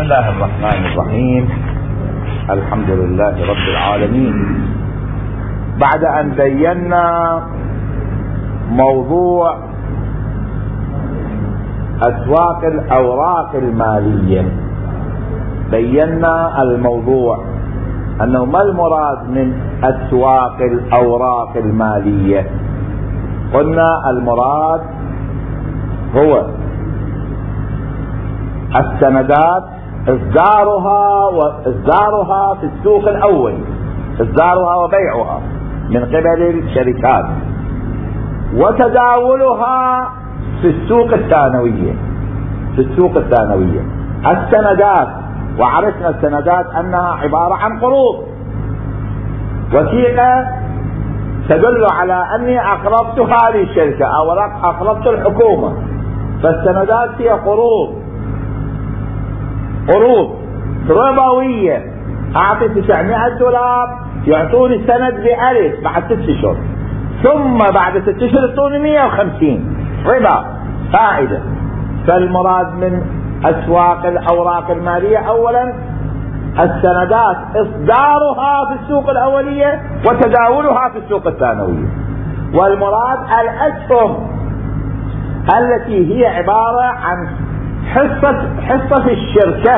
الله الرحمن الرحيم. الحمد لله رب العالمين. بعد أن بينا موضوع أسواق الأوراق المالية، بينا الموضوع أنه ما المراد من أسواق الأوراق المالية. قلنا المراد هو السندات إصدارها في السوق الأول، إصدارها وبيعها من قبل الشركات، وتداولها في السوق الثانوية. السندات، وعرفنا السندات أنها عبارة عن قروض، وثيقة تدل على أني أقرضت هذه الشركة أو أقرضت الحكومة. فالسندات هي قروض ربوية. أعطي $900 يعطوني سند ب1000 بعد 6 أشهر، ثم بعد 6 أشهر يعطوني 150 ربا فائدة. فالمراد من أسواق الأوراق المالية أولا السندات إصدارها في السوق الأولية وتداولها في السوق الثانوية. والمراد الأسهم التي هي عبارة عن حصة الشركة،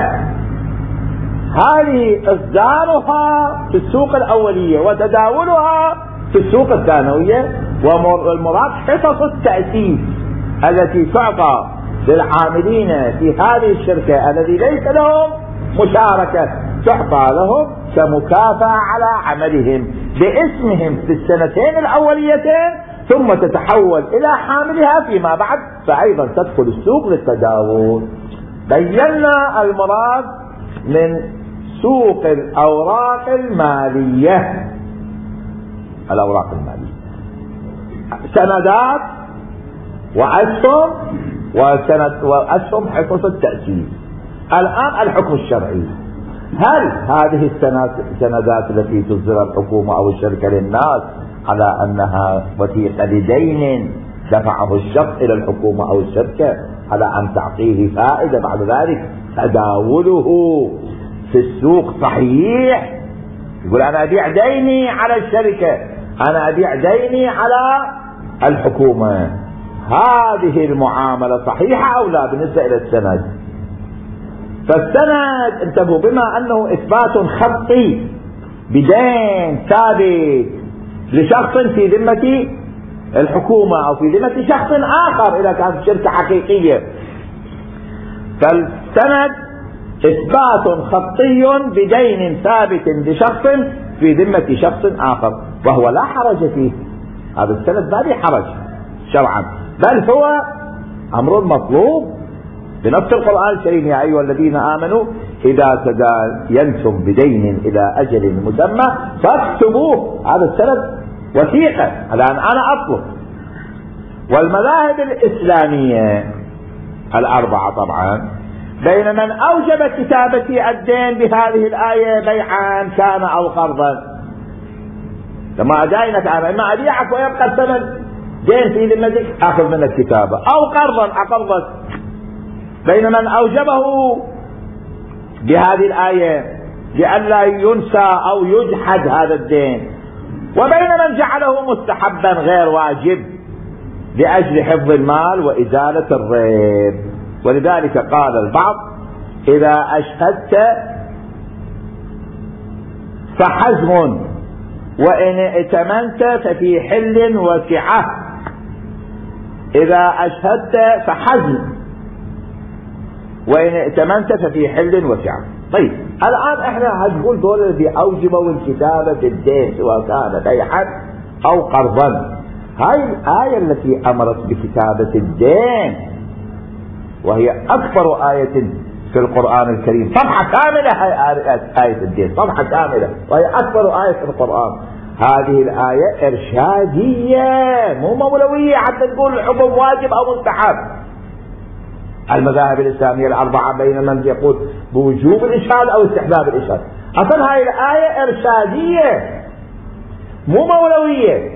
هذه إصدارها في السوق الأولية وتداولها في السوق الثانوية. والمراد حصص التأسيس التي تعطى للعاملين في هذه الشركة الذي ليس لهم مشاركة، تعطى لهم كمكافأة على عملهم باسمهم في السنتين الأوليتين، ثم تتحول إلى حاملها فيما بعد، فأيضا تدخل السوق للتداول. بينا المراد من سوق الأوراق المالية. الأوراق المالية سندات وأسهم، وأسهم حصص التأسيس. الآن الحكم الشرعي، هل هذه السندات التي تصدرها الحكومة أو الشركة للناس على أنها وثيقة لدين دفعه الشخص إلى الحكومة أو الشركة على أن تعطيه فائدة بعد ذلك تداوله في السوق صحيح؟ يقول أنا أبيع ديني على الشركة، أنا أبيع ديني على الحكومة. هذه المعاملة صحيحة أو لا بالنسبة إلى السند؟ فالسند انتبهوا بما أنه إثبات خطي بدين ثابت لشخص في ذمة الحكومة أو في ذمة شخص آخر إذا كانت شركة حقيقية، فالسند إثبات خطي بدين ثابت لشخص في ذمة شخص آخر، وهو لا حرج فيه. هذا السند ما به حرج شرعا، بل هو أمر مطلوب بنص القرآن الكريم: يا أيها الذين آمنوا إذا تداينتم بدين إلى أجل مسمى فاكتبوه. هذا السند وثيقة الآن أنا أطلب. والمذاهب الإسلامية الأربعة طبعا بين من أوجب كتابة الدين بهذه الآية بيعا كان أو قرضا، لما أداينك أنا إما أبيعك ويبقى الثمن دين في ذمتك أخذ منك كتابة، أو قرضا أقرضك. بين من أوجبه بهذه الآية لئلا ينسى أو يجحد هذا الدين، وبين من جعله مستحبا غير واجب لأجل حفظ المال وإزالة الريب. ولذلك قال البعض: إذا أشهدت فحزم، وإن ائتمنت ففي حل وسعة. إذا أشهدت فحزم، وإن ائتمنت ففي حل وسعة. طيب الآن احنا هنقول دول الذي أوجبوا الكتابة في الدين سواء كان بيعا أو قرضا. هاي الآية التي أمرت بكتابة الدين، وهي أكبر آية في القرآن الكريم، صفحة كاملة آية الدين، صفحة كاملة، وهي أكبر آية في القرآن. هذه الآية إرشادية مو مولوية حتى تقول الحكم واجب أو مستحب. المذاهب الإسلامية الأربعة بين من يقول بوجوب الإشهاد أو استحباب الإشهاد. أصلا هاي الآية إرشادية مو مولوية،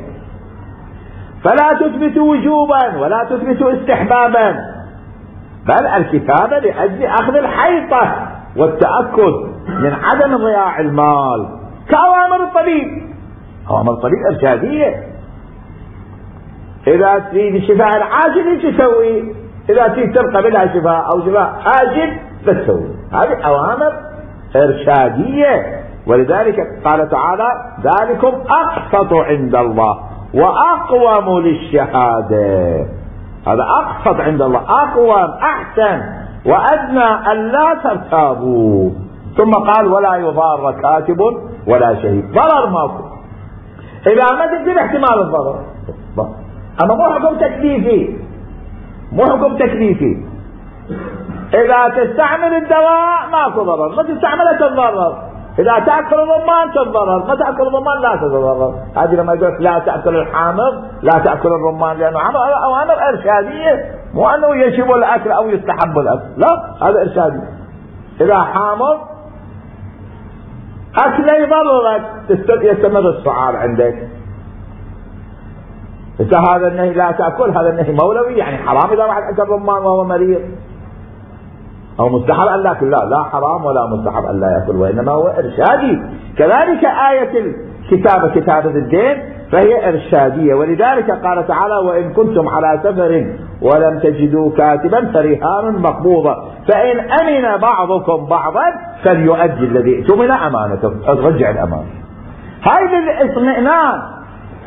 فلا تثبت وجوبا ولا تثبت استحبابا، بل الكتابة لأجل أخذ الحيطة والتأكد من عدم ضياع المال كأوامر الطبيب. أوامر الطبيب إرشادية. إذا تريد الشفاء العاجل ايش تسوي؟ إذا تريد تبقى بلا شفاء أو شفاء آجل لا تسوي. هذه أوامر إرشادية. ولذلك قال تعالى ذلكم أقسط عند الله وأقوم للشهادة. هذا أقسط عند الله، أقوم، أحسن، وأدنى ألا ترتابوا. ثم قال ولا يضار كاتب ولا شهيد. ضرر ماكو. إذا ما تكتب احتمال الضرر، أما مو حكم تكليفي، مو حكم تكليفي. إذا تستعمل الدواء ماكو ضرر، ما تستعمله تتضرر. إذا تأكل الرمان تتضرر، ما تأكل الرمان لا تتضرر. هذه لما يقول لا تأكل الحامض لا تأكل الرمان لأنه أوامر إرشادية، مو أنه يجب الأكل أو يستحب الأكل، لا، هذا إرشادي. إذا حامض أكله يضررك يستمر الصعاب عندك. إذا هذا النهي لا تأكل، هذا النهي مولوي يعني حرام إذا واحد أكل رمان وهو مريض، أو مستحب أن لا يأكل، لا حرام ولا مستحب أن لا يأكل، وإنما هو إرشادي. كذلك آية الكتابة، كتابة الدين، فهي إرشادية. ولذلك قال تعالى وإن كنتم على سفر ولم تجدوا كاتبا فرهان مقبوضة فإن أمن بعضكم بعضا فليؤدي الذي اؤتمن أمانته، رجع الأمانة. هاي للإطمئنان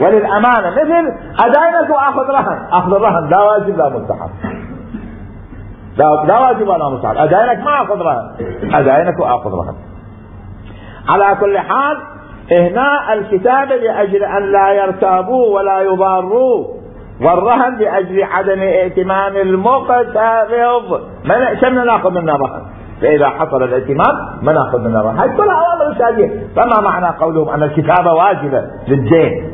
وللأمانة، مثل أداينك وأخذ رهن. أخذ الرهن لا واجب لا مستحب، لا واجب ولا مستحب. أداينك ما أخذ رهن، أداينك وأخذ رهن. على كل حال هنا الكتابة لأجل أن لا يرتابوا ولا يضاروا، والرهن لأجل عدم ائتمان المقترض. شمنا نأخذ منه رهن، فإذا حصل الائتمان ما نأخذ منه رهن. هاي كلها أوامر إرشادية. فما معنى قولهم أن الكتابة واجبة للدين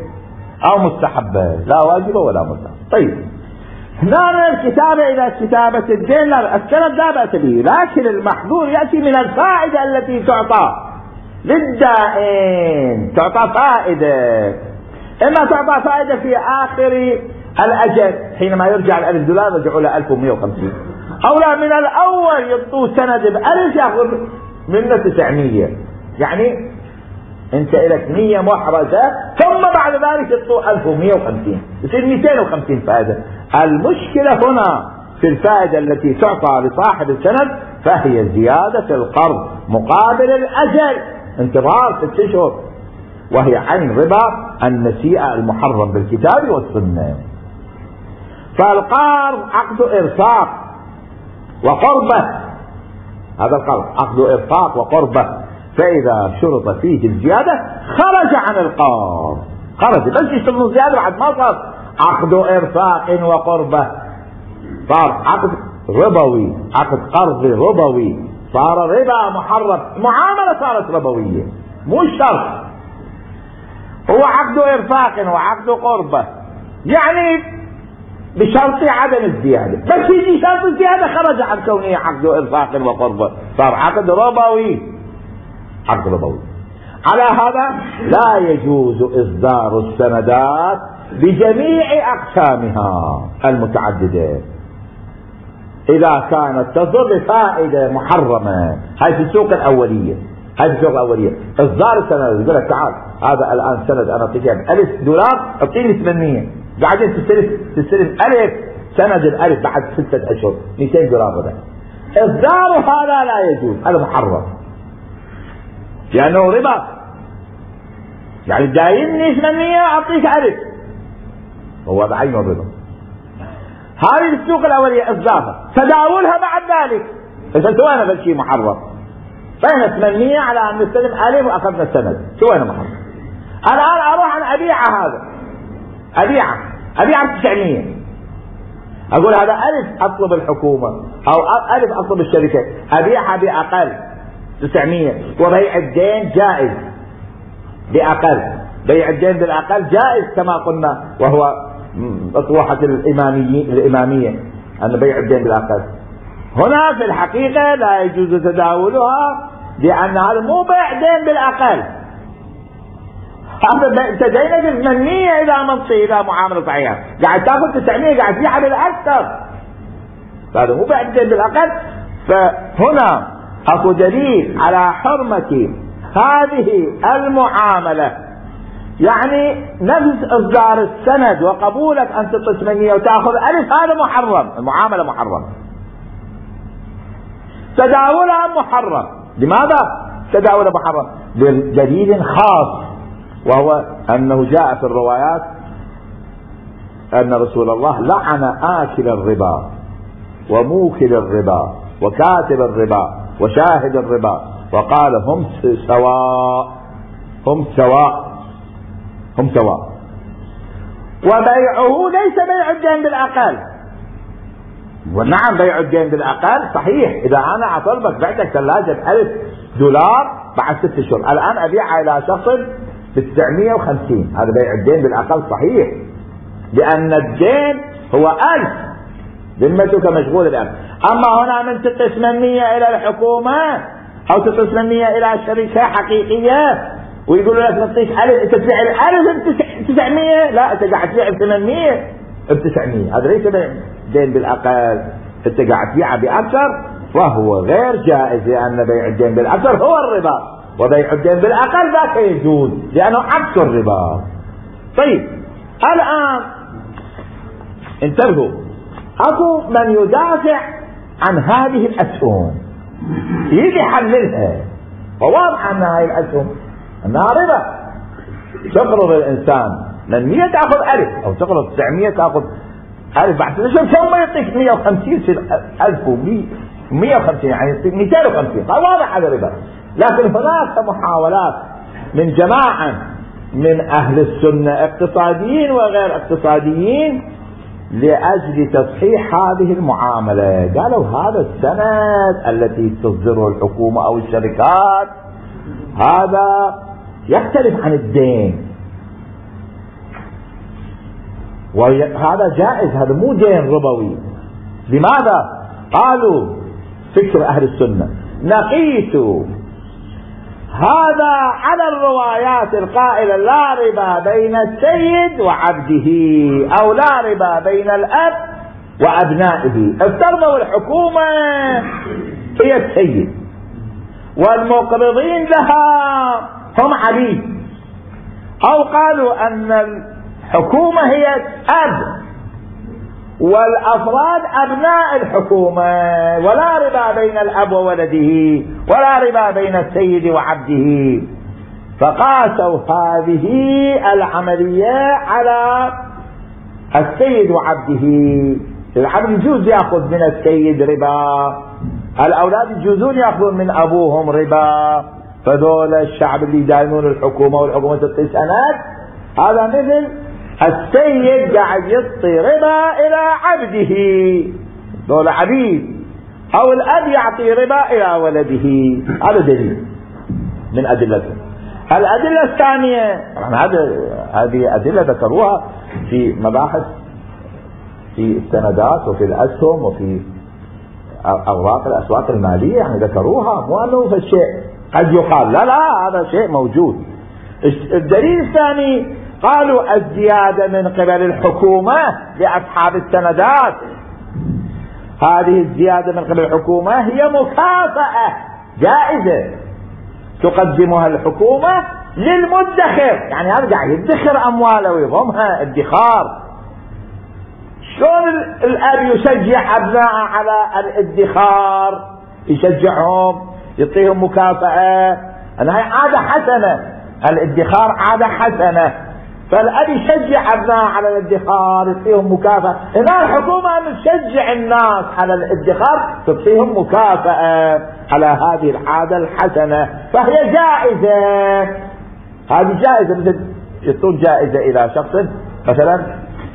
أو مستحبة؟ لا واجبة ولا مستحبة. طيب هنا الكتابة إذا كتابة الدين لا السند لا بأس به، لكن المحظور يأتي من الفائدة التي تعطى للدائن. تعطى فائدة، إما تعطى فائدة في آخر الأجل حينما يرجع الألف دولار يرجعوا له 1150، أو لا من الأول يعطوه سند بألف يأخذ منه 900. يعني أنت إلك 100 محرزة ثم بعد ذلك يعطوه 1150، يصير 250 فائدة. المشكلة هنا في الفائدة التي تعطى لصاحب السند، فهي زيادة القرض مقابل الأجل، انتظار 6 أشهر، وهي عين ربا النسيئة المحرم بالكتاب والسنة. فالقرض عقد إرفاق وقربة، هذا القرض عقد إرفاق وقربة، فإذا شرط فيه الزيادة خرج عن القرض، خرج بس يشتغل الزيادة بعد ما صار عقد إرفاق وقربة، صار عقد ربوي، عقد قرض ربوي، صار ربا محرم، معاملة صارت ربوية مو شرط. هو عقد إرفاق وعقد قربة يعني بشرط عدم الزيادة، بس يجي شرط الزيادة خرج عن كونه عقد إرفاق وقربة، صار عقد ربوي، عقد ربوي. على هذا لا يجوز إصدار السندات بجميع أقسامها المتعددة إذا كانت تضر بفائدة محرمة. هاي في السوق الأولية، هاي في السوق الأولية إصدار السند يقول لك تعال هذا الآن سند أنا أعطيك $1000 أعطيني 800، بعدين تستلم 1000 سند الألف بعد 6 أشهر $200 هذا. إصدار هذا لا يجوز، هذا محرم لأنه ربا. يعني دايمني 800 أعطيك 1000، هو بعينه الربا. هذه السوق الأولية إصدارها، تداولها بعد ذلك فسوينا بالشيء محرم. بين 800 على أن نستلم 1000 وأخذنا السند، سوينا محرم. الآن أروح أن أبيع هذا، أبيع 900، أقول هذا 1000 أطلب الحكومة أو 1000 أطلب الشركة، أبيعها بأقل 900، وبيع الدين جائز بأقل، بيع الدين بالأقل جائز كما قلنا، وهو أطروحة الإمامية أن بيع الدين بالأقل. هنا في الحقيقة لا يجوز تداولها لأن هذا مو بيع دين بالأقل، هذا تدينك 800 إذا منطي إذا معاملة صحيحة، قاعد تأخذ 900 قاعد تبيعها بالأكثر، هذا مو بيع الدين بالأقل. فهنا اكو دليل على حرمة هذه المعاملة، يعني نفس اصدار السند وقبولك ان تعطي 800 وتاخذ 1000 هذا محرم، المعاملة محرم، تداولها محرم. لماذا تداولها محرم؟ بدليل خاص، وهو انه جاء في الروايات ان رسول الله لعن آكل الربا وموكل الربا وكاتب الربا وشاهد الربا، وقال هم سواء، هم سواء، هم سواء. وبيعه ليس بيع الدين بالأقل، ونعم بيع الدين بالأقل صحيح، إذا أنا أطلبك بعتك ثلاجة $1000 بعد 6 شهور، الآن أبيعها إلى شخص ب950، هذا بيع الدين بالأقل صحيح، لأن الدين هو 1000، ذمتك مشغولة ب1000. أما هنا من 800 إلى الحكومة أو 800 إلى شركة حقيقية ويقولوا لك نعطيك 1000، أنت تبيع 1000 ب900، لا أنت قاعد تبيع ب800 ب900، هذا ليس دين بالأقل، أنت قاعد تبيعه بأكثر، وهو غير جائز، لأن بيع الدين بالأكثر هو الربا، وبيع الدين بالأقل ذاك يجوز لأنه عكس الربا. طيب الآن انتبهوا، اكو من يدافع عن هذه الاسهم، يجي يحللها، وواضح ان هذه الاسهم انها ربا، تقرض الانسان من 100 تاخذ 1000 او تقرض 900 تاخذ 1000 بعد 6 شهور، ثم يعطيك 150 1000 و150 يعني يعطيك 250، واضح هذا ربا. لكن هناك محاولات من جماعه من اهل السنه اقتصاديين وغير اقتصاديين لأجل تصحيح هذه المعاملة، قالوا هذا السند التي تصدره الحكومة أو الشركات هذا يختلف عن الدين، وهذا جائز، هذا مو دين ربوي. لماذا؟ قالوا فكر أهل السنة، نقيس هذا على الروايات القائلة لا ربا بين السيد وعبده، أو لا ربا بين الأب وأبنائه. افترضوا الحكومة هي السيد والمقرضين لها هم عبيد، أو قالوا أن الحكومة هي أب والأفراد أبناء الحكومة، ولا ربا بين الأب وولده، ولا ربا بين السيد وعبده. فقاسوا هذه العملية على السيد وعبده. العبد يجوز يأخذ من السيد ربا، الأولاد يجوزون يأخذون من أبوهم ربا، فذول الشعب اللي يداينون الحكومة والحكومة تعطي سند، هذا مثل السيد قاعد يعطي ربا إلى عبده، ذول عبيد، أو الأب يعطي ربا إلى ولده. هذا دليل من أدلته. الأدلة الثانية، هذه أدلة ذكروها في مباحث في السندات وفي الأسهم وفي أوراق الأسواق المالية، يعني ذكروها، مو أنه فالشيء قد يقال لا هذا شيء موجود. الدليل الثاني قالوا الزيادة من قبل الحكومة لأصحاب السندات، هذه الزيادة من قبل الحكومة هي مكافأة جائزة تقدمها الحكومة للمدخر، يعني هذا قاعد يدخر أمواله ويضمها ادخار. شلون الأب يشجع أبناءه على الادخار؟ يشجعهم، يعطيهم مكافأة، أنها عادة حسنة، الادخار عادة حسنة، فالأب يشجع أبناءه على الادخار، يعطيهم مكافأة. هنا الحكومة تشجع الناس على الادخار، تعطيهم مكافأة على هذه العادة الحسنة، فهي جائزة. هذه جائزة، مثل يعطون جائزة إلى شخص مثلا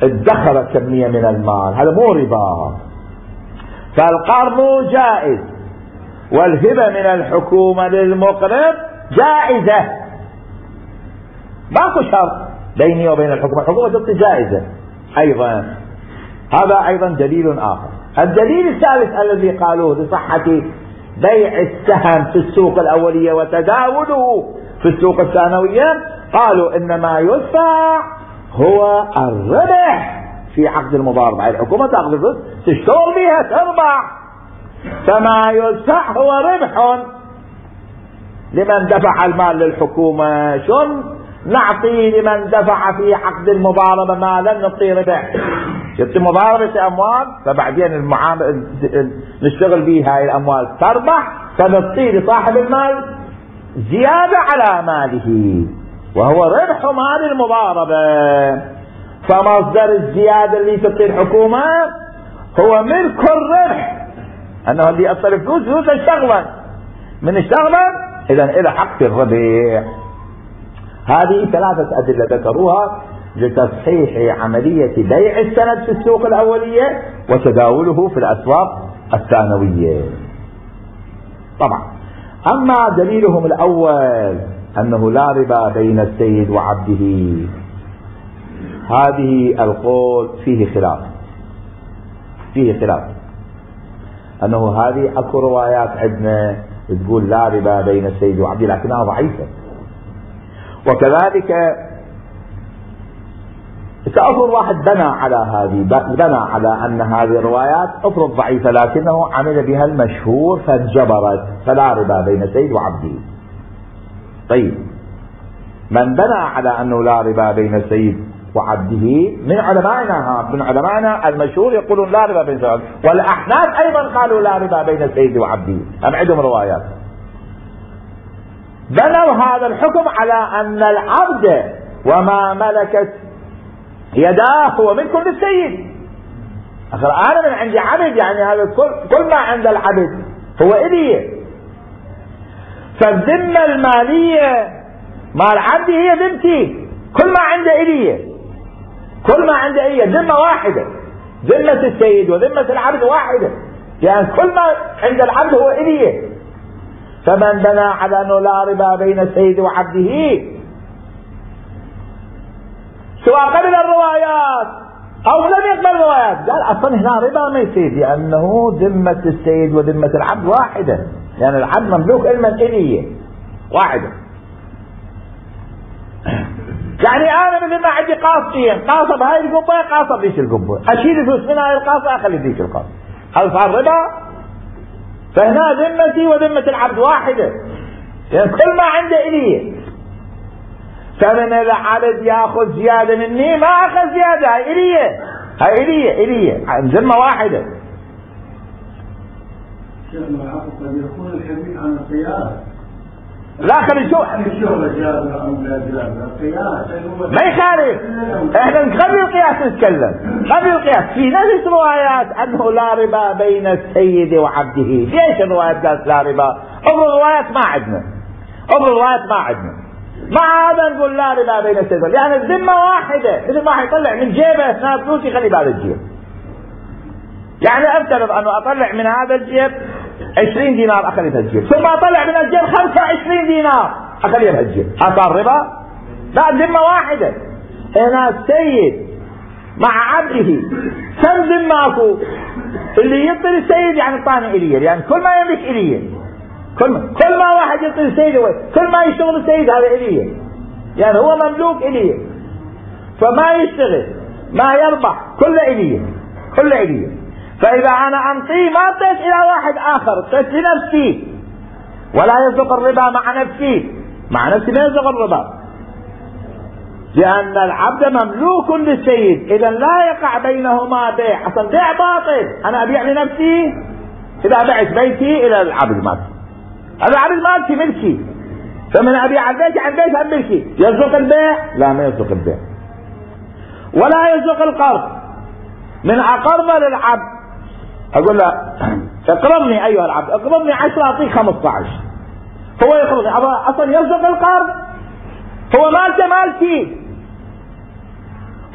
ادخر كمية من المال، هذا مو ربا. فالقرض جائز، والهبة من الحكومة للمقرض جائزة، ماكو شرط بيني وبين الحكومة، الحكومة تعطي جائزة أيضا. هذا أيضا دليل آخر. الدليل الثالث الذي قالوه لصحة بيع السهم في السوق الأولية وتداوله في السوق الثانوية، قالوا إنما يدفع هو الربح في عقد المضاربة، الحكومة تأخذ فلوس تشتغل بها تربح، فما يدفع هو ربح لمن دفع المال للحكومة. شن نعطي لمن دفع في عقد المضاربة مالا نعطي ربح؟ شفت مضاربة أموال فبعدين المعامل نشتغل بها هاي الأموال تربح فنعطي لصاحب المال زيادة على ماله وهو ربح مال المضاربة. فمصدر الزيادة اللي تعطي الحكومة هو ملك الربح، أنه اللي يأصل فلوس اشتغلا من اشتغلا إذا إلى حق الربح. هذه ثلاثة أدلة ذكروها لتصحيح عملية بيع السند في السوق الأولية وتداوله في الأسواق الثانوية. طبعا أما دليلهم الأول أنه لا ربا بين السيد وعبده، هذه القول فيه خلاف أنه هذه أكو روايات عندنا تقول لا ربا بين السيد وعبده لكنها ضعيفة، وكذلك كأفرض واحد بنى على أن هذه الروايات أفرض ضعيفة لكنه عمل بها المشهور فانجبرت، فلا ربا بين السيد وعبده. طيب من بنى على أنه لا ربا بين السيد وعبده من علمائنا المشهور يقولون لا ربا بين السيد وعبده، والأحناف أيضا قالوا لا ربا بين السيد وعبده، هم عندهم روايات. بنوا هذا الحكم على أن العبد وما ملكت يداه هو ملك للسيد. أنا من عندي عبد، يعني هذا كل ما عند العبد هو إلي، فالذمة المالية مال عبدي هي ذمتي، كل ما عنده إلي، كل ما عنده إلي ذمة واحدة، ذمة السيد وذمة العبد واحدة، يعني كل ما عند العبد هو إلي. فمن بنى على أنه لا ربا بين السيد وعبده سواء قبل الروايات أو لم يقبل الروايات قال أصلا هنا ربا ما يصير، لأنه ذمة السيد وذمة العبد واحدة، يعني العبد مملوك علما إليه واحدة. يعني أنا مثل ما عندي قاصين، قاصة بهاي القبة قاصة بذيك القبة، أشيل فلوس من هاي القاصة أخلي بذيك القاصة، هل صار ربا؟ فهنا ذمتي وذمة العبد واحدة، يعني كل ما عنده إليه. فمن العبد ياخذ زيادة مني ما أخذ زيادة، هاي إليه ذمة واحدة. شيخنا العقد قد يكون الحديث عن القياس، لا خلي شو ما يخالف، احنا قبل القياس نتكلم، قبل القياس في نفس روايات انه لا ربا بين السيد وعبده. ليش الروايات قالت لا ربا؟ افرض الروايات ما عندنا، مع هذا نقول لا ربا بين السيد، يعني الذمة واحدة، مثل ما يطلع من جيبه اثناء فلوس يخلي بهذا الجيب. يعني افترض انه اطلع من هذا الجيب 20 دينار اخلي بهالجيب، ثم اطلع من الجيب 25 دينار اخلي بهالجيب، صار ربا؟ لا، ذمة واحدة. هنا السيد مع عبده كم ذمة اكو؟ اللي يعطي السيد يعني الطاني اليه، يعني كل ما يملك اليه، كل ما واحد يعطي السيد كل ما يشتغل السيد هذا اليه، يعني هو مملوك اليه، فما يشتغل ما يربح كله اليه. فإذا أنا أنطيه ما أعطيت إلى واحد آخر، أعطيت لنفسي، ولا يصدق الربا مع نفسي ما يصدق الربا، لأن العبد مملوك للسيد، إذا لا يقع بينهما بيع، أصلا بيع باطل. أنا أبيع لنفسي، إذا بعت بيتي إلى العبد مالتي، العبد مالتي ملكي، فمن أبيع البيت عن بيت هم ملكي، يصدق البيع؟ لا، ما يصدق البيع. ولا يصدق القرض، من أقرض للعبد أقول له اقرضني أيها العبد، اقرضني 10 أعطيك 15، هو يقرضني، أصلا يصدق القرض؟ هو مالتي،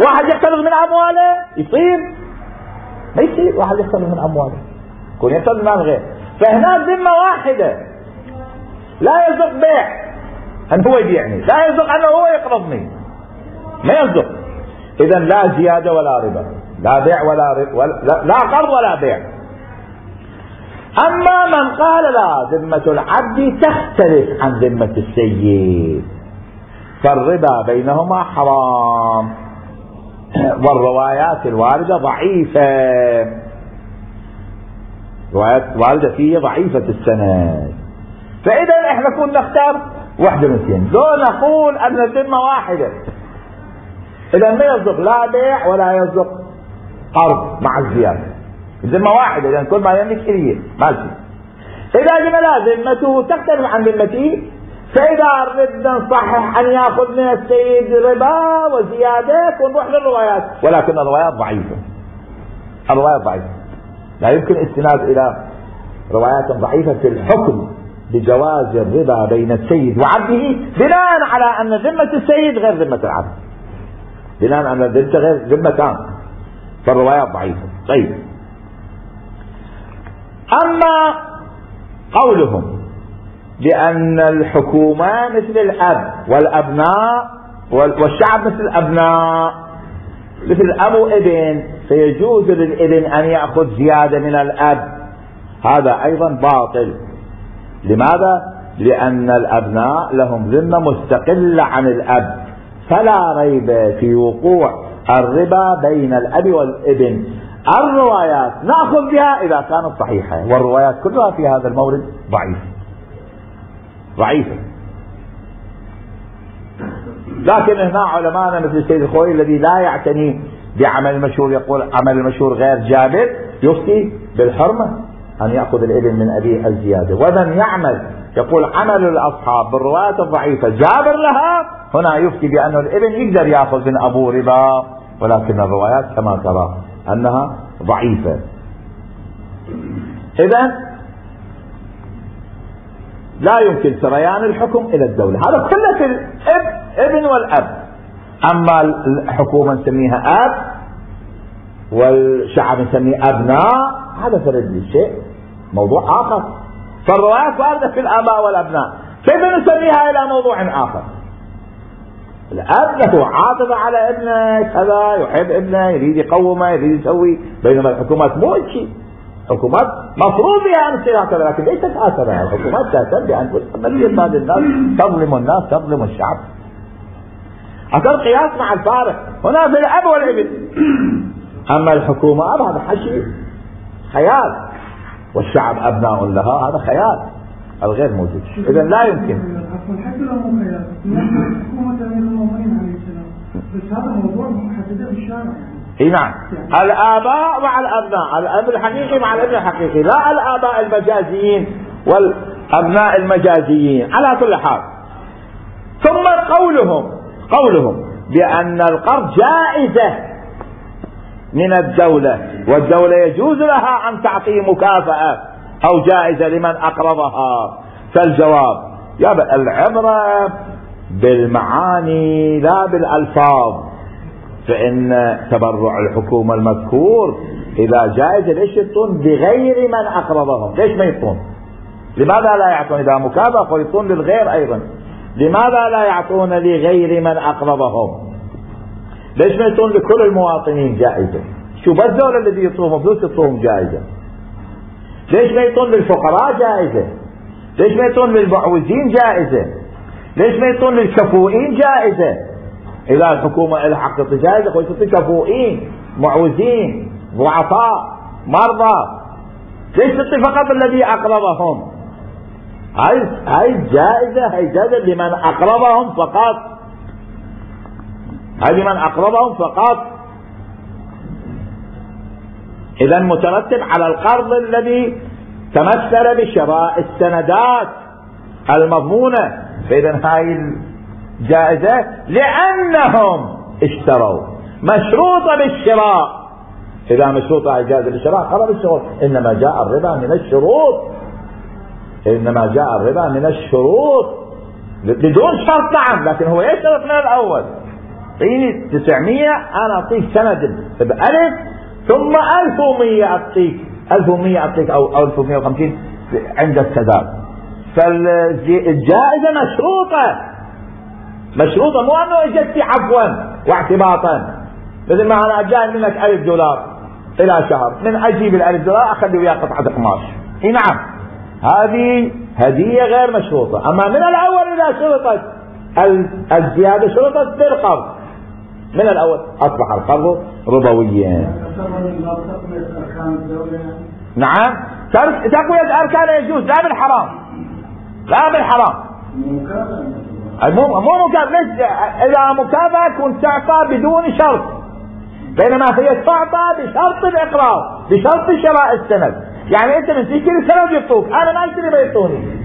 واحد يقترض من أمواله يصير؟ ما يصير واحد يقترض من أمواله، يكون يقترض من مال غير. فهنا ذمة واحدة، لا يصدق بيع أن هو يبيعني، لا يصدق أنه هو يقرضني، ما يصدق. إذا لا زيادة ولا ربا، لا بيع لا قرض ولا بيع. أما من قال لا، ذمة العبد تختلف عن ذمة السيد، فالربا بينهما حرام، والروايات الواردة ضعيفة. روايات واردة فيه ضعيفة السند. فإذا احنا كنا نختار واحدة من اثنين، لو نقول أن الذمة واحدة، إذا ما يصدق لا بيع ولا يصدق قرض مع الزيادة، الذمة واحدة، لأن كل ما يملك إليه مالتي. إذا قلنا لا ذمته تختلف عن ذمتي، فإذا ردنا نصحح أن يأخذ من السيد ربا وزيادة ونروح للروايات، ولكن الروايات ضعيفة، الروايات ضعيفة، لا يمكن استناد إلى روايات ضعيفة في الحكم بجواز الربا بين السيد وعبده بناء على أن ذمة السيد غير ذمة العبد، بناء على أن ذمته غير ذمتان، فالروايات ضعيفة. طيب، أما قولهم بأن الحكومة مثل الأب والأبناء والشعب مثل الأبناء، مثل الأب وابن، فيجوز للابن أن يأخذ زيادة من الأب، هذا أيضا باطل. لماذا؟ لأن الأبناء لهم ذمة مستقلة عن الأب، فلا ريب في وقوع الربا بين الأب والابن. الروايات نأخذ بها إذا كانت صحيحة، والروايات كلها في هذا المورد ضعيفة. لكن هنا علماءنا مثل السيد الخوئي الذي لا يعتني بعمل المشهور يقول عمل المشهور غير جابر، يفتي بالحرمة أن يأخذ الابن من أبيه الزيادة. ومن يعمل يقول عمل الأصحاب بالروايات الضعيفة جابر لها، هنا يفتي بأن الابن يقدر يأخذ من أبوه ربا، ولكن الروايات كما ترى أنها ضعيفة. إذن لا يمكن سريان الحكم إلى الدولة، هذا كله في الابن والأب. أما الحكومة نسميها أب والشعب نسميه أبناء، هذا فرد شيء موضوع آخر. فالروايات واردة في الآباء والأبناء، كيف نسميها إلى موضوع آخر؟ الأب له عاطفة على ابنه، كذا يحب ابنه، يريد يقومه، يريد يسوي، بينما الحكومات مو شيء. الحكومات مفروض بها أن تصير هكذا، لكن ليست هكذا. الحكومات تهتم بأن تقبل بعض الناس، تظلم الناس، تظلم الشعب. هذا القياس مع الفارق هنا في الأب والابن. أما الحكومة هذا حشي خيال، والشعب أبناء لها، هذا خيال الغير موجود. إذا لا يمكن. حتى لو مو خيال، حكومة أمير المؤمنين عليه السلام، بس هذا موضوع محدد بالشارع. اي نعم، الآباء مع الأبناء، الأب الحقيقي مع الابن الحقيقي، لا الآباء المجازيين والأبناء المجازيين. على كل حال، ثم قولهم بأن القرض جائزة من الدولة، والدولة يجوز لها أن تعطي مكافأة أو جائزة لمن أقرضها. فالجواب يا العبرة بالمعاني لا بالألفاظ. فإن تبرع الحكومة المذكور إذا جائز ليش يعطون بغير من أقرضهم؟ ليش ما يعطون؟ لماذا لا يعطون إذا مكافأة ويعطون للغير أيضا؟ لماذا لا يعطون لغير من أقرضهم؟ ليش ما يعطون لكل المواطنين جائزة؟ شو بس دول الذي يعطوهم فلوس يعطوهم جائزة؟ ليش ما يعطون للفقراء جائزة؟ ليش ما يعطون للمعوزين جائزة؟ ليش ما يعطون للكفؤين جائزة؟ إذا الحكومة لها حق جائزة ويعطي كفؤين، معوزين، ضعفاء، مرضى، ليش تعطي فقط الذي أقرضهم؟ هاي جائزة لمن أقرضهم فقط، هاي لمن أقرضهم فقط. إذا مترتب على القرض الذي تمثل بشراء السندات المضمونة. فإذا هاي الجائزة لأنهم اشتروا، مشروطة بالشراء. إذا مشروطة إجازة بالشراء خرب الشروط. إنما جاء الربا من الشروط، بدون شرط. نعم، لكن هو يشترط من الأول. اعطيني 900 أنا أعطيك سند بألف، ثم 1100 أعطيك 1100 أو 1150 عند السداد. فالجائزة مشروطة، مو أنه إجتي عفوا واعتباطا. مثل ما أنا جاي منك $1000 إلى شهر، من أجيب $1000 أخذ وياه قطعة قماش. إيه نعم، هذه هدية غير مشروطة. أما من الأول إذا شرطت الزيادة شرطت بالقرض من الأول، أصبح القرض ربويا. نعم، تقوية أركان يجوز، لا بالحرام، لا بالحرام. مو مكافأة. إذا مكافأة كنت تعطى بدون شرط، بينما هي تعطى بشرط الإقرار، بشرط شراء السند. يعني أنت من تشتري السند يعطوك، أنا ما أشتري بيعطوني.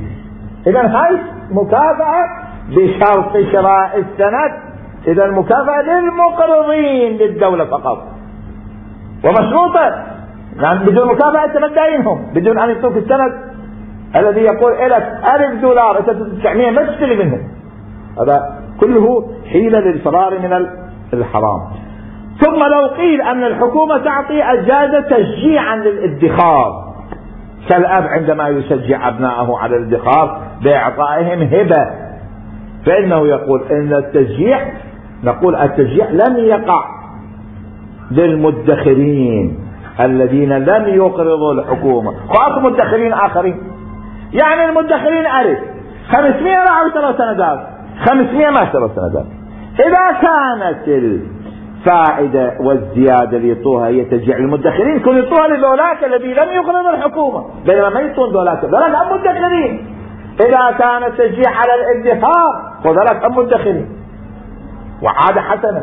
إذا هاي مكافأة بشرط شراء السند. إذا المكافأة للمقرضين للدولة فقط ومشروطة، يعني بدون مكافأة أنت ما تداينهم، بدون أن يعطوك السند الذي يقول لك $1000 أنت 900 ما تشتري منهم. هذا كله حيلة للفرار من الحرام. ثم لو قيل أن الحكومة تعطي أجازة تشجيعا للادخار، كالأب عندما يشجع أبنائه على الادخار بإعطائهم هبة، فإنه يقول إن التشجيع، نقول التشجيع لم يقع للمدخرين الذين لم يقرضوا الحكومة، خاصة مدخرين آخرين. يعني المدخرين ألف 500 راحوا اشتروا سندات، 500 ما اشتروا سندات. إذا كانت الفائدة والزيادة اللي يعطوها هي تشجيع المدخرين، كانوا يعطوها لذولاك الذي لم يقرضوا الحكومة، بينما ما يعطون ذولاك هم مدخرين. إذا كان التشجيع على الادخار وذلك هم مدخرين وعادة حسنة،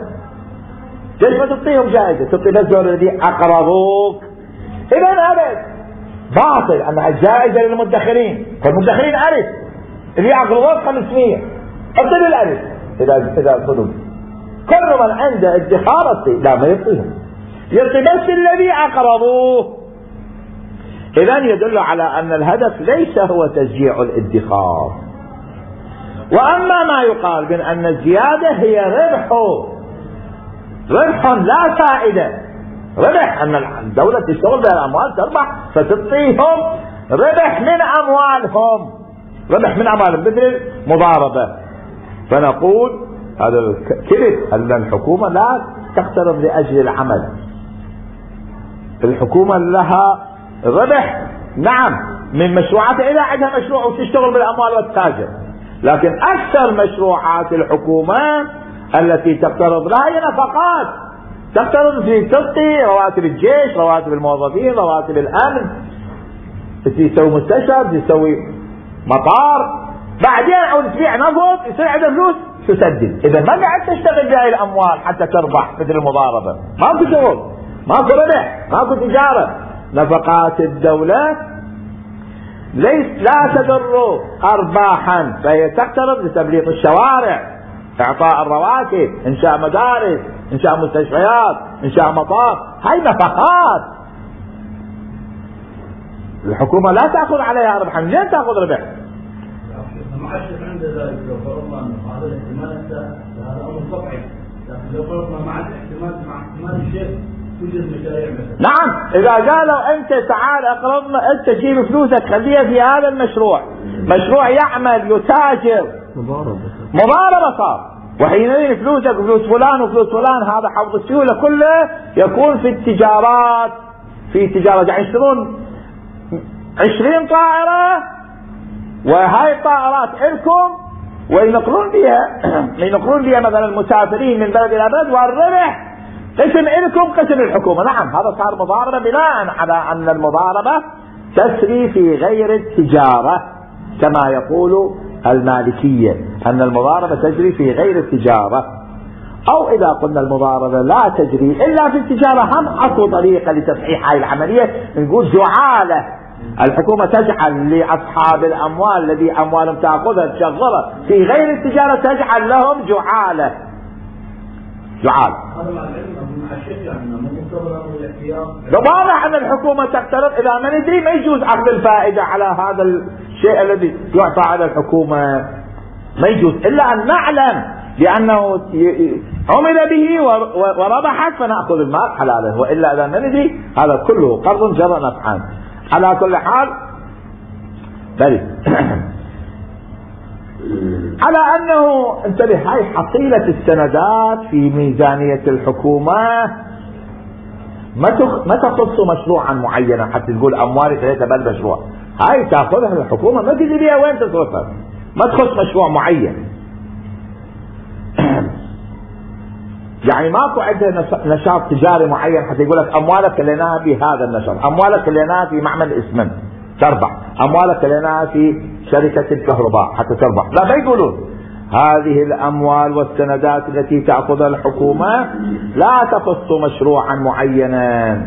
ليش ما تعطيهم جائزة؟ تعطي بس ذول الذي أقرضوك. إذا هذا باطل أنها الجائزة للمدخرين، فالمدخرين ألف، اللي أقرضوك 500 أعطي الألف. إذا صدق كل من عنده ادخار لا ما يعطيهم، يعطي بس الذي أقرضوه. إذا يدل على أن الهدف ليس هو تشجيع الادخار. وأما ما يقال من أن الزيادة هي ربح لا فائدة، ربح أن الدولة تشتغل بالأموال تربح فتعطيهم ربح من أموالهم، ربح من أموالهم مثل مضاربة. فنقول هذا الكذب أن الحكومة لا تقترض لأجل العمل، الحكومة لها ربح نعم من مشروعاتها إذا عندها مشروع وتشتغل بالأموال والتاجر، لكن أكثر مشروعات الحكومة التي تقترض لها هي نفقات، تقترض في تعطي رواتب الجيش، رواتب الموظفين، رواتب الأمن، تسوي مستشفى، تسوي مطار، بعدين أو تبيع نفط يصير عندها فلوس تسدد. إذا ما قاعد تشتغل بهاي الأموال حتى تربح مثل المضاربة، ماكو شغل، ماكو ربح، ماكو تجارة. نفقات الدولة لا تضر أرباحا، فهي تقترض لتبليط الشوارع، إعطاء الرواتب، إنشاء مدارس، إنشاء مستشفيات، إنشاء مطار، هاي نفقات. الحكومة لا تأخذ عليها ربحا، لين تأخذ ربح؟ المعشر عند ذلك لو فرضنا أن هذا الاحتمال هذا أمر طبيعي، لكن لو فرضنا مع الاحتمال مع احتمال الشيء توجد مشاريع مثلا. نعم، إذا قالوا أنت تعال أقرضنا، أنت تجيب فلوسك خليها في هذا المشروع، مشروع يعمل يتاجر، مضاربة صار، وحينئذ فلوسك وفلوس فلان وفلوس فلان، هذا حوض السيولة كله يكون في التجارات، في تجارة يعني يشترون 20 طائرة وهاي الطائرات لكم وينقلون بها مثلا المسافرين من بلد إلى بلد، والربح قسم لكم قسم للحكومة. نعم، هذا صار مضاربة بناء على أن المضاربة تسري في غير التجارة، كما يقول المالكية أن المضاربة تجري في غير التجارة. أو إذا قلنا المضاربة لا تجري إلا في التجارة، هم أكو طريقة لتصحيح هاي العملية، نقول جعالة. الحكومة تجعل لأصحاب الأموال الذي أموالهم تأخذها تشغلها في غير التجارة، تجعل لهم جعالة. هذا مع العلم مع الشيخ يعني مو مقتضى الأمر الاحتياط. واضح أن الحكومة تقترض، إذا ما ندري ما يجوز أخذ الفائدة على هذا الشيء الذي يعطى على الحكومة، ما يجوز إلا أن نعلم لأنه عمل به وربحت فنأخذ المال حلالا، وإلا إذا ما ندري هذا كله قرض جرى نفعا. على كل حال بل على أنه انتبه، هاي حصيلة السندات في ميزانية الحكومة ما تخص مشروعا معينا حتى تقول أموالي ثلاثة بالمشروع، هاي تأخذها الحكومة ما تدري بيها وين تصرفها، ما تخص مشروع معين. يعني ماكو عندها نشاط تجاري معين حتى يقول لك اموالك كليناها في هذا النشاط، اموالك كليناها في معمل اسمنت تربح، اموالك كليناها في شركة الكهرباء حتى تربح. لا، ما يقولون هذه الاموال والسندات التي تأخذها الحكومة لا تخص مشروعا معينا.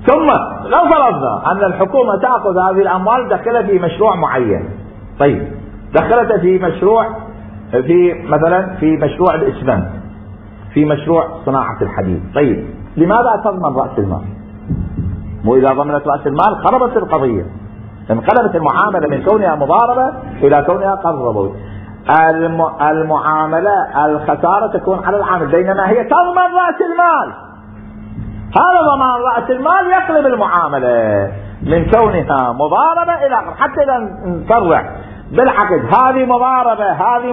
ثم لو فرضنا ان الحكومة تأخذ هذه الاموال دخلها في مشروع معين، طيب دخلتها في مشروع، في مثلا في مشروع الاسمنت، في مشروع صناعة الحديد، طيب لماذا تضمن رأس المال؟ مو اذا ضمنت رأس المال خربت القضية، انقلبت المعاملة من كونها مضاربة الى كونها قرض ربوي. المعاملة الخسارة تكون على العامل، بينما هي تضمن رأس المال. هذا ضمان رأس المال يقلب المعاملة من كونها مضاربة الى حتى اذا نصرح بالعقد هذه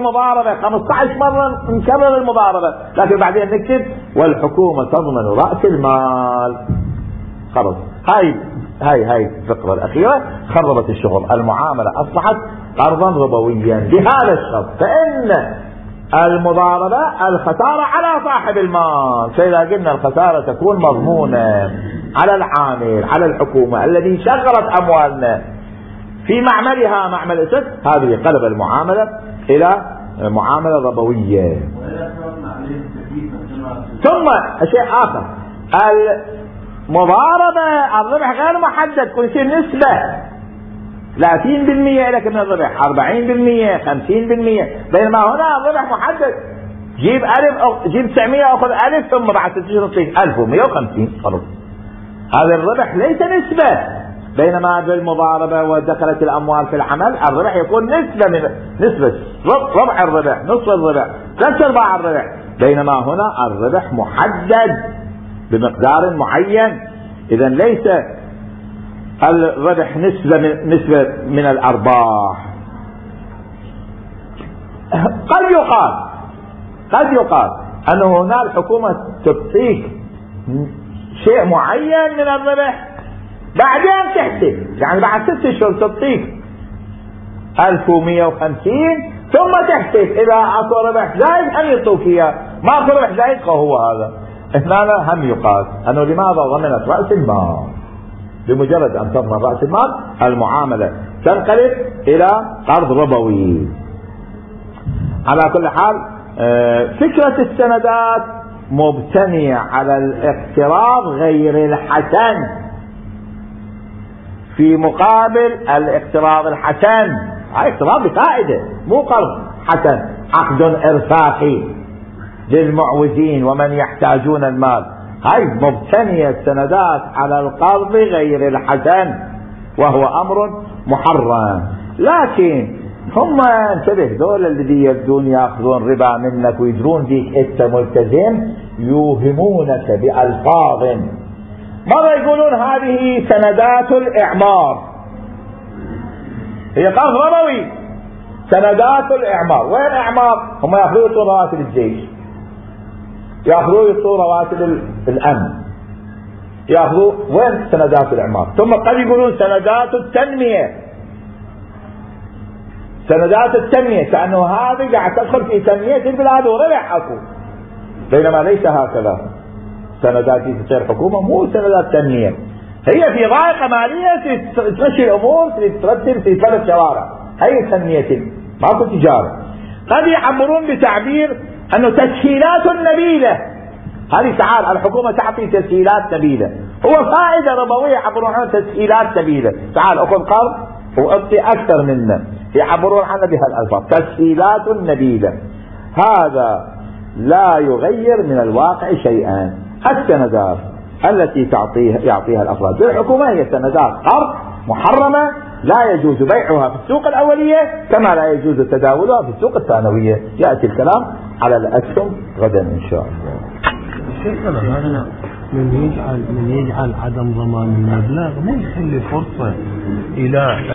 مضاربة 15 مرة نكرر المضاربة، لكن بعدين نكتب والحكومة تضمن رأس المال. خلاص هاي الفقرة الأخيرة خربت الشغل، المعاملة أصبحت قرضا ربويا بهذا الشرط، فإن المضاربة الخسارة على صاحب المال، فإذا قلنا الخسارة تكون مضمونة على العامل على الحكومة الذي شغلت أموالنا في معملها معمل اسد، هذه قلب المعاملة إلى معاملة ربوية. ثم شيء آخر، المضاربة الربح غير محدد، كل شيء نسبة، 30% لك من الربح، 40%، 50%، بينما هنا الربح محدد، جيب 900 أخذ 1000 ثم بعد 6 شهور تعطيك 1150 خلاص. هذا الربح ليس نسبة، بينما بالمضاربة ودخلت الأموال في العمل الربح يكون نسبة ربع الربح، نصف الربح، 3/4 الربح، بينما هنا الربح محدد بمقدار معين. إذن ليس الربح نسبة من الأرباح. قد يقال أن هنا الحكومة تعطيك شيء معين من الربح بعدين تحسب، يعني بعد 6 شهور تعطيك 1150 ثم تحسب إذا أكو ربح زايد أن يعطوك إياه، ما أكو ربح زايد هو هذا. هنا هم يقال أنه لماذا ضمنت رأس المال؟ بمجرد أن تضمن رأس المال المعاملة تنقلب إلى قرض ربوي. على كل حال فكرة السندات مبتنية على الاقتراض غير الحسن في مقابل الاقتراض الحسن. هاي اقتراض بفائدة مو قرض حسن، عقد إرفاقي للمعوزين ومن يحتاجون المال. هاي مبتنية السندات على القرض غير الحسن وهو أمر محرم. لكن هم انتبه، دول الذي يبدون يأخذون ربا منك ويدرون فيك انت ملتزم يوهمونك بألفاظ، مرة يقولون هذه سندات الإعمار، هي قرض ربوي. سندات الإعمار، وين إعمار؟ هم يأخذون يعطون رواتب الجيش، يأخذون يعطون رواتب الأمن، يأخذون وين سندات الإعمار. ثم قد يقولون سندات التنمية، سندات التنمية كأنه هذه قاعد تدخل في تنمية البلاد وربح أكو، بينما ليس هكذا. سندات في تصير حكومة مو سندات تنمية، هي في ضائقة مالية تمشي الأمور، ترتب في 3 شوارع، هي تنمية ماكو تجارة. قد يعبرون بتعبير أنه تسهيلات نبيلة، هذه تعال الحكومة تعطي تسهيلات نبيلة، هو فائدة ربوية يعبرون عنها تسهيلات نبيلة، تعال أخذ قرض وأعطي أكثر منه، يعبرون عنها بهالألفاظ تسهيلات نبيلة. هذا لا يغير من الواقع شيئا. السندات التي يعطيها الأفراد بالحكومة هي سندات قرض محرمة، لا يجوز بيعها في السوق الأولية كما لا يجوز تداولها في السوق الثانوية. يأتي الكلام على الأسهم غدا إن شاء الله. هذا من يجعل عدم ضمان المبلغ ما يخلي فرصة إلى